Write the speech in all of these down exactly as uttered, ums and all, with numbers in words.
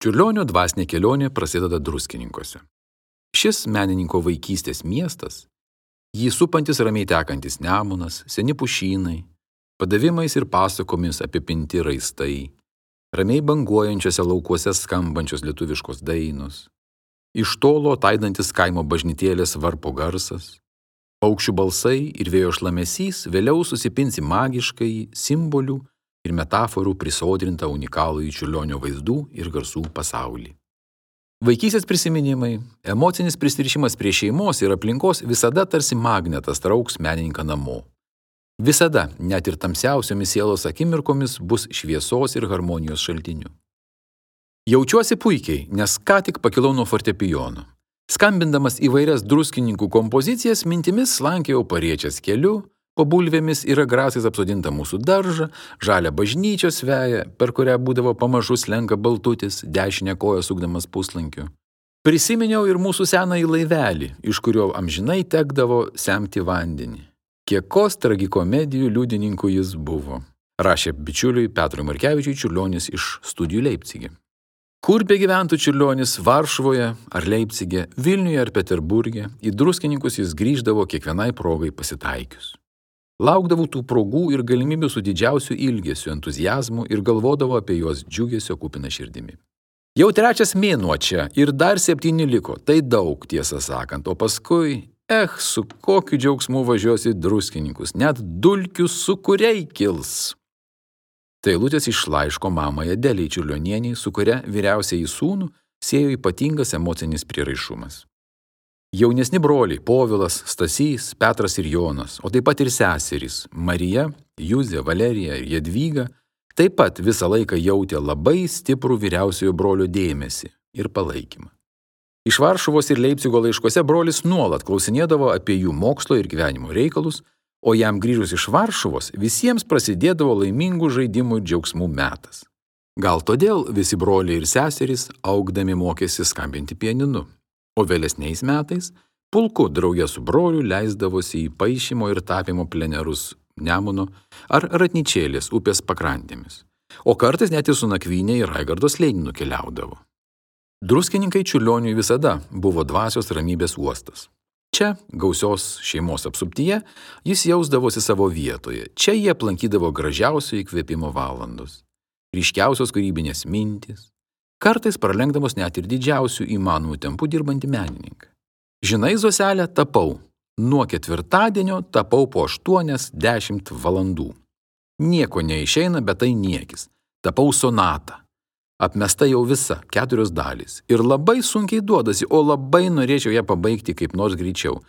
Čiurlionio dvasinė kelionė prasideda Druskininkuose. Šis menininko vaikystės miestas, jį supantis ramiai tekantis Nemunas, seni pušynai, padavimais ir pasakomis apipinti raistai, ramiai banguojančiose laukuose skambančios lietuviškos dainos, iš tolo taidantis kaimo bažnytėlės varpo garsas, paukščių balsai ir vėjo šlamesys vėliau susipins į magiškai simbolių ir metaforų prisodrintą unikalųjį Čiurlionio vaizdų ir garsų pasaulį. Vaikystės prisiminimai, emocinis prisirišimas prie šeimos ir aplinkos visada tarsi magnetas trauks menininką namo. Visada, net ir tamsiausiomis sielos akimirkomis, bus šviesos ir harmonijos šaltiniu. Jaučiuosi puikiai, nes ką tik pakilau nuo fortepijono. Skambindamas įvairias druskininkų kompozicijas, mintimis slankėjau Pariečės keliu, po bulvėmis ir agrasais apsodintą mūsų daržą, žalią bažnyčios veją, per kurią būdavo pamažu slenka baltutis, dešinę koją sukdamas puslankiu. Prisiminiau ir mūsų senąjį laivelį, iš kurio amžinai tekdavo semti vandenį. Kiekos tragikomedijų liudininkų jis buvo, rašė bičiuliui Petrui Markevičiui Čiurlionis iš studijų Leipcige. Kur begyventų Čiurlionis, Varšuvoje ar Leipcige, Vilniuje ar Peterburge, į Druskininkus jis grįždavo kiekvienai progai pasitaikius. Laukdavau tų progų ir galimybių su didžiausiu ilgesiu, entuziazmu ir galvodavo apie juos džiugesio kupiną širdimi. Jau trečias mėnuo čia ir dar septyni liko, tai daug tiesą sakant, o paskui, eh, su kokiu džiaugsmu važiuosi Druskininkus, net dulkių sukuriai kils. Tai eilutės iš laiško mamai Adelei Čiurlionienei, su kuria vyriausiąjį sūnų siejo ypatingas emocinis prieraišumas. Jaunesni broliai Povilas, Stasys, Petras ir Jonas, o taip pat ir seserys Marija, Juzė, Valerija ir Jadvyga taip pat visą laiką jautė labai stiprų vyriausiojo brolio dėmesį ir palaikymą. Iš Varšuvos ir Leipcigo laiškuose brolis nuolat klausinėdavo apie jų mokslo ir gyvenimo reikalus, o jam grįžus iš Varšuvos visiems prasidėdavo laimingų žaidimų ir džiaugsmų metas. Gal todėl visi broliai ir seserys augdami mokėsi skambinti pianinu. O vėlesniais metais pulku draugė su broliu leisdavosi į paišymo ir tapymo plenerus Nemuno ar Ratnyčėlės upės pakrantėmis, o kartais net ir su nakvynė į Raigardo slėnį nukeliaudavo. Druskininkai Čiurlioniui visada buvo dvasios ramybės uostas. Čia, gausios šeimos apsuptyje, jis jausdavosi savo vietoje, čia jie aplankydavo gražiausio įkvėpimo valandos, ryškiausios kūrybinės mintys, kartais pralenkdamos net ir didžiausių įmanomų tempų dirbantį menininką. Žinai, Zoselė, tapau. Nuo ketvirtadienio tapau po aštuonias dešimt valandų. Nieko neišeina, bet tai niekis. Tapau sonatą. Apmesta jau visa, keturios dalys. Ir labai sunkiai duodasi, o labai norėčiau ją pabaigti kaip nors greičiau,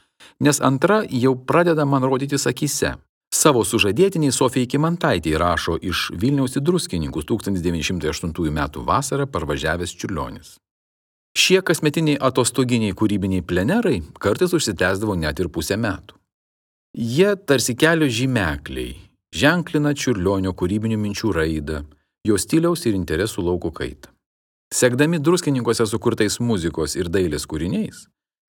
nes antra jau pradeda man rodytis akyse. Savo sužadėtiniai Sofijai Kymantaitei rašo iš Vilniaus į Druskininkus tūkstantis devyni šimtai aštuntųjų metų vasarą parvažiavęs Čiurlionis. Šie kasmetiniai atostoginiai kūrybiniai plenerai kartais užsitęsdavo net ir pusę metų. Jie tarsi kelio žymekliai, ženklina Čiurlionio kūrybinių minčių raidą, jo stiliaus ir interesų lauko kaitą. Sekdami Druskininkuose sukurtais muzikos ir dailės kūriniais,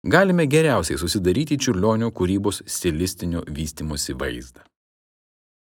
galime geriausiai susidaryti Čiurlionio kūrybos stilistinio vystymosi vaizdą.